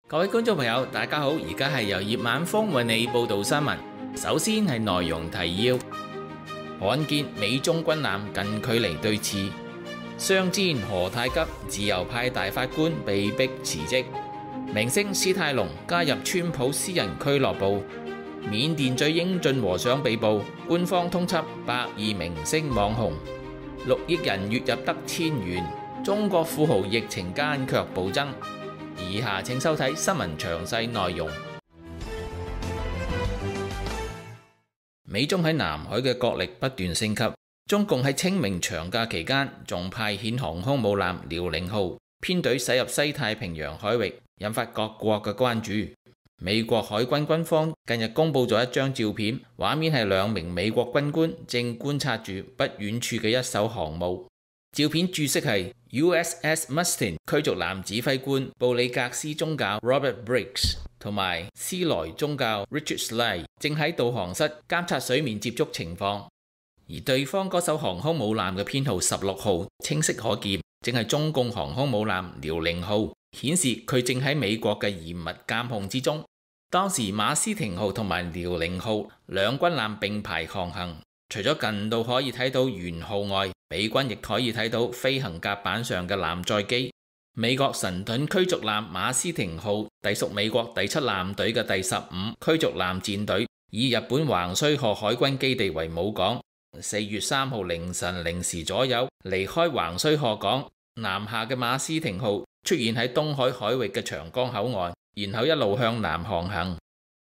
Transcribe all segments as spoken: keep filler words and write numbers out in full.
各位觀眾朋友，大家好，而家係由葉晚風為你報道新聞。首先係內容提要：罕見美中軍艦近距離對峙，商戰何太急，自由派大法官被逼辭職。明星史泰龍加入川普私人俱樂部。緬甸最英俊和尚被捕，官方通緝百二明星網紅。六億人月入得千元，中國富豪疫情間卻暴增。以下請收睇新聞詳細內容。美中喺南海嘅角力不斷升級，中共喺清明長假期間仲派遣航空母艦遼寧號編隊駛入西太平洋海域，引發各國嘅關注。美國海軍軍方近日公布咗一張照片，畫面係兩名美國軍官正觀察住不遠處嘅一艘航母。照片注釋係 U S S Mustin 驅逐艦指揮官布里格斯中校 Robert Briggs 同埋斯萊中校 Richard Slye 正喺導航室監察水面接觸情況，而對方嗰艘航空母艦嘅編號十六號清晰可見，正係中共航空母艦遼寧號，顯示佢正喺美國嘅嚴密監控之中。當時馬斯廷號同埋遼寧號兩軍艦並排航行，除咗近到可以睇到舷號外，美軍亦可以睇到飛行甲板上嘅艦載機。美國神盾驅逐艦馬斯廷號隸屬美國第七艦隊嘅第十五驅逐艦戰隊，以日本橫須賀海軍基地為母港。四月三號凌晨零時左右離開橫須賀港，南下嘅馬斯廷號出現喺東海海域嘅長江口岸，然後一路向南航行。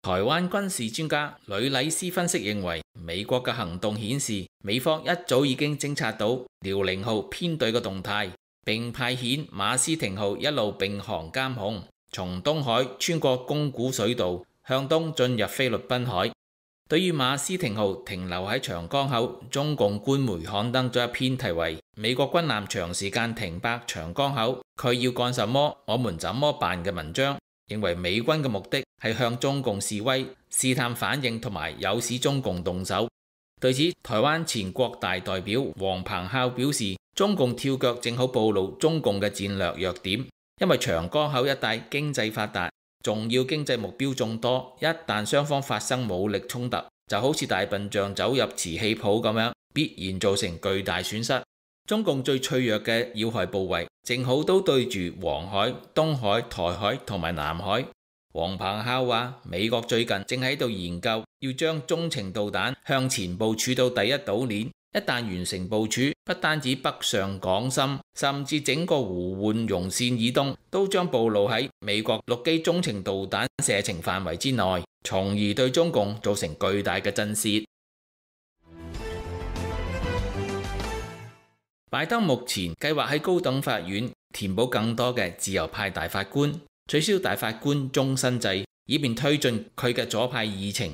台灣軍事專家呂禮斯分析認為，美國嘅行動顯示美方一早已經偵察到遼寧號編隊嘅動態，並派遣馬斯廷號一路並航監控，從東海穿過宮古水道向東進入菲律賓海。對於馬斯廷號停留喺長江口，中共官媒刊登咗一篇題為《美國軍艦長時間停泊長江口，佢要幹什麼？我們怎麼辦》嘅文章，認為美軍嘅目的係向中共示威、試探反應同埋誘使中共動手。對此，台灣前國大代表黃鵬孝表示，中共跳腳正好暴露中共嘅戰略弱點，因為長江口一帶經濟發達，重要經濟目標眾多，一旦雙方發生武力衝突，就好似大笨象走入瓷器鋪咁樣，必然造成巨大損失。中共最脆弱嘅要害部位，正好都對住黃海、東海、台海同埋南海。黃鵬孝話，美國最近正喺度研究要將中程導彈向前部署到第一島鏈，一旦完成部署，不單止北上廣深，甚至整個胡煥容線以東都將暴露喺美國陸基中程導彈射程範圍之內，從而對中共造成巨大嘅震懾。拜登目前計劃喺高等法院填補更多嘅自由派大法官，取消大法官終身制，以便推進佢嘅左派議程。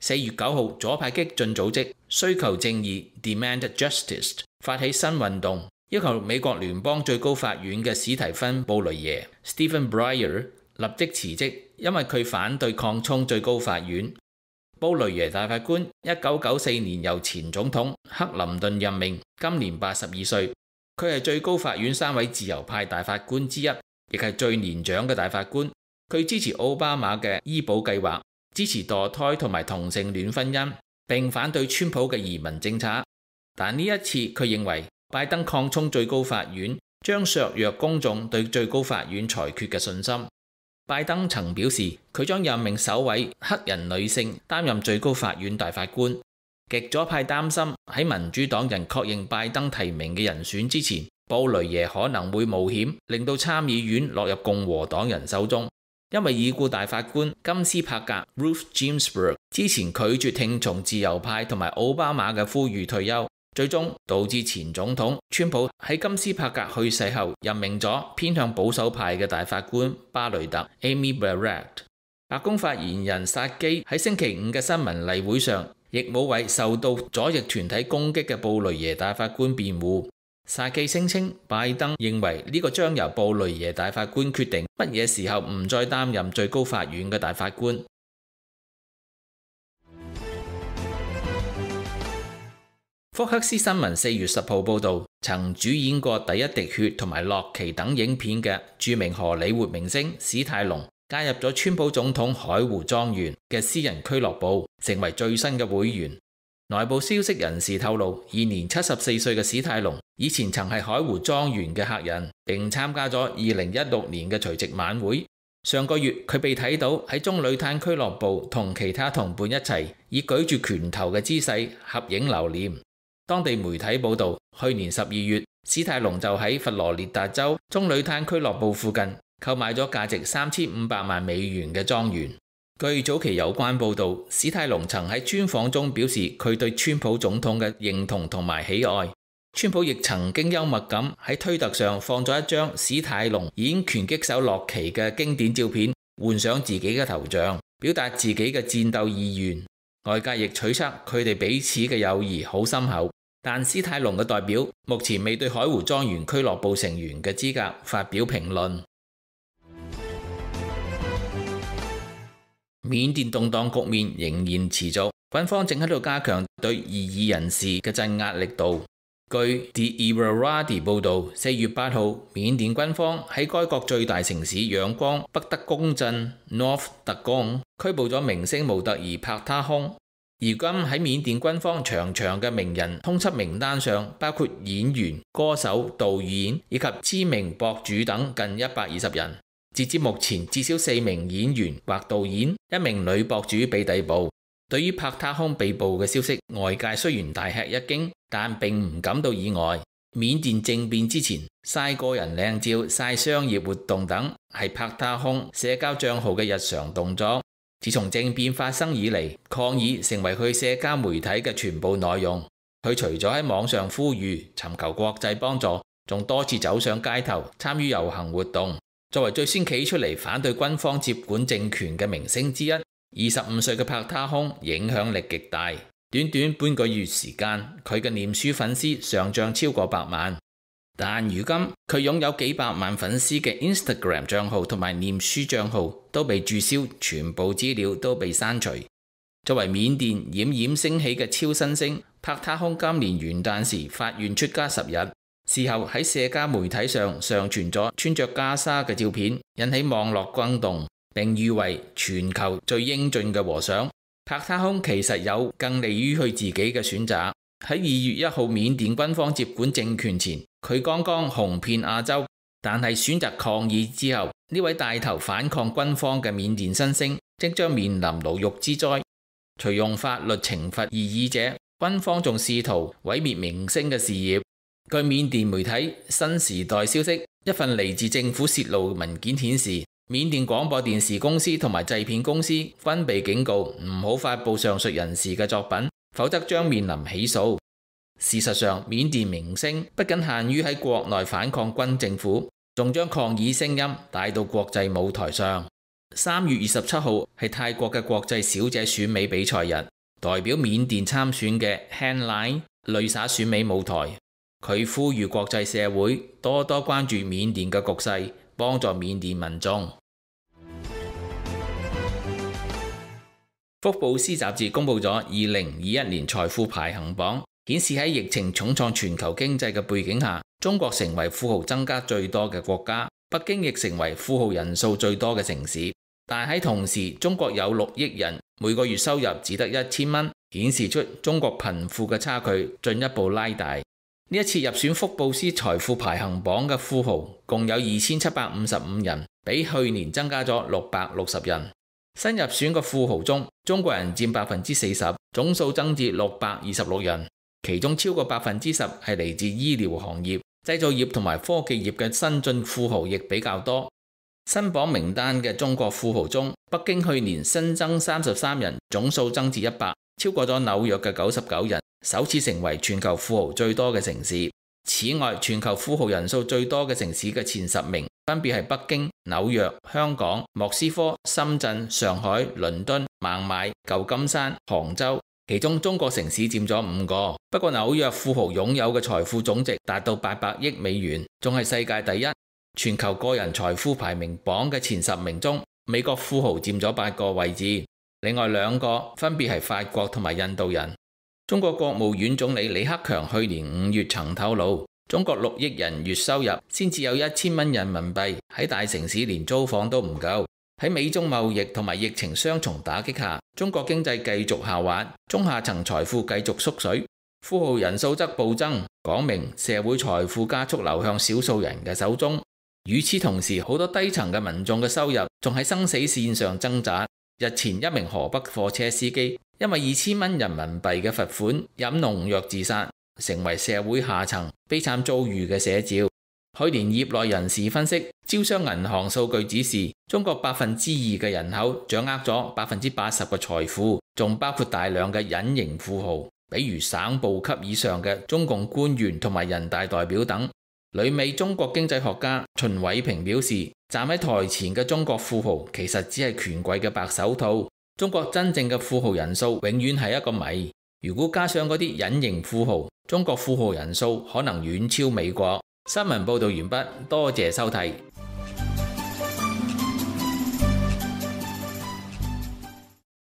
四月九號，左派激進組織需求正義 （Demand Justice） 發起新運動，要求美國聯邦最高法院嘅史提芬·布雷耶 （Stephen Breyer） 立即辭職，因為佢反對擴充最高法院。布雷耶大法官一九九四年由前總統克林頓任命，今年八十二歲。佢係最高法院三位自由派大法官之一，亦係最年長嘅大法官。佢支持奧巴馬嘅醫保計劃，支持墮胎同埋同性戀婚姻，並反對川普嘅移民政策。但呢一次佢認為拜登擴充最高法院將削弱公眾對最高法院裁決嘅信心。拜登曾表示，佢將任命首位黑人女性擔任最高法院大法官。極左派擔心喺民主黨人確認拜登提名嘅人選之前，布雷耶可能會冒險令到參議院落入共和黨人手中，因為已故大法官金斯柏格 Ruth Ginsburg 之前拒絕聽從自由派同埋奧巴馬嘅呼籲退休，最終導致前總統川普喺金斯柏格去世後任命咗偏向保守派嘅大法官巴雷特 Amy Barrett。白宮發言人薩基喺星期五嘅新聞例會上，亦冇為受到左翼團體攻擊嘅布雷耶大法官辯護。薩基聲稱，拜登認為呢個將由布雷耶大法官決定乜嘢時候唔再擔任最高法院嘅大法官。福克斯新聞四月十號報導，曾主演過《第一滴血》同埋《洛奇》等影片嘅著名荷里活明星史泰龍加入咗川普總統海湖莊園嘅私人俱樂部，成為最新嘅會員。內部消息人士透露，現年七十四歲嘅史泰龍以前曾係海湖莊園嘅客人，並參加咗二零一六年嘅除夕晚會。上個月佢被睇到喺棕櫚灘俱樂部同其他同伴一齊以舉住拳頭嘅姿勢合影留念。當地媒體報導，去年十二月，史泰龍就喺佛羅列達州棕櫚灘俱樂部附近購買咗價值三千五百萬美元嘅莊園。據早期有關報導，史泰龍曾喺專訪中表示佢對川普總統嘅認同同埋喜愛。川普亦曾經幽默咁喺推特上放咗一張史泰龍演拳擊手洛奇嘅經典照片，換上自己嘅頭像，表達自己嘅戰鬥意願。外界亦推測佢哋彼此嘅友誼好深厚，但史泰龍嘅代表目前未對海湖莊園俱樂部成員嘅資格發表評論。緬甸動盪局面仍然持續，軍方正喺度加強對異議人士嘅鎮壓力度。據 The Irrawaddy 報導，四月八號，緬甸軍方喺該國最大城市仰光北德公鎮 North Dagong 拘捕咗明星模特兒帕他空。而今喺緬甸軍方長長嘅名人通緝名單上，包括演員、歌手、導演以及知名博主等近一百二十人。截至目前，至少四名演員或導演、一名女博主被逮捕。對於帕他空被捕嘅消息，外界雖然大吃一驚，但並唔感到意外。緬甸政變之前，曬個人靚照、曬商業活動等係帕他空社交帳號嘅日常動作。自從政變發生以嚟，抗議成為佢社交媒體嘅全部內容。佢除咗喺網上呼籲尋求國際幫助，仲多次走上街頭參與遊行活動。作為最先企出嚟反對軍方接管政權嘅明星之一，二十五歲嘅帕他空影響力極大。短短半個月時間，佢嘅臉書粉絲上漲超過百萬。但如今佢擁有幾百萬粉絲嘅 Instagram 帳號同埋臉書帳號都被註銷，全部資料都被刪除。作為緬甸冉冉升起嘅超新星，帕他空今年元旦時發願出家十日，事後喺社交媒體上上傳咗穿着袈裟嘅照片，引起網絡轟動，並譽為全球最英俊嘅和尚。帕他空其實有更利於佢自己嘅選擇。喺二月一號緬甸軍方接管政權前，佢剛剛紅遍亞洲，但係選擇抗議之後，呢位帶頭反抗軍方嘅緬甸新星即將面臨牢獄之災。除用法律懲罰異議者，軍方仲試圖毀滅明星嘅事業。據緬甸媒體新時代消息，一份嚟自政府泄露文件顯示，緬甸廣播電視公司同埋製片公司均被警告唔好發佈上述人士嘅作品，否則將面臨起訴。事實上，緬甸明星不僅限於喺國內反抗軍政府，仲將抗議聲音帶到國際舞台上。三月二十七號係泰國嘅國際小姐選美比賽日，代表緬甸參選嘅 Han Lai 淚灑選美舞台。佢呼籲國際社會多多關注緬甸嘅局勢，幫助緬甸民眾。福布斯雜誌公布咗二零二一年財富排行榜，顯示喺疫情重創全球經濟嘅背景下，中國成為富豪增加最多嘅國家，北京亦成為富豪人數最多嘅城市。但喺同時，中國有六億人，每個月收入只得一千蚊，顯示出中國貧富嘅差距進一步拉大。呢一次入選福布斯財富排行榜嘅富豪共有二千七百五十五人，比去年增加咗六百六十人。新入選嘅富豪中，中國人佔百分之四十，總數增至六百二十六人，其中超過百分之十係嚟自醫療行業、製造業同埋科技業嘅新晉富豪亦比較多。新榜名單嘅中國富豪中，北京去年新增三十三人，總數增至一百，超過咗紐約嘅九十九人，首次成為全球富豪最多嘅城市。此外，全球富豪人數最多嘅城市嘅前十名分別係北京、紐約、香港、莫斯科、深圳、上海、倫敦、孟買、舊金山、杭州，其中中國城市佔咗五個。不過紐約富豪擁有嘅財富總值達到八百億美元，仲係世界第一。全球個人財富排名榜嘅前十名中，美國富豪佔咗八個位置，另外兩個分別係法國同埋印度人。中國國務院總理李克強去年五月曾透露，中國六億人月收入先至有一千蚊人民幣，喺大城市連租房都唔夠。喺美中貿易同埋疫情雙重打擊下，中國經濟繼續下滑，中下層財富繼續縮水，富豪人數則暴增，講明社會財富加速流向少數人嘅手中。與此同時，好多低層嘅民眾嘅收入仲喺生死線上掙扎。日前，一名河北貨車司機因為二千蚊人民幣嘅罰款飲農藥自殺，成為社會下層悲慘遭遇嘅寫照。去年業內人士分析，招商銀行數據指示，中國百分之二嘅人口掌握咗百分之八十嘅財富，仲包括大量嘅隱形富豪，比如省部級以上嘅中共官員同埋人大代表等。旅美中國經濟學家秦偉平表示，站喺台前嘅中國富豪其實只係權貴嘅白手套，中國真正嘅富豪人數永遠係一個謎。如果加上嗰啲隱形富豪，中國富豪人數可能遠超美國。新聞報導完畢，多謝收睇。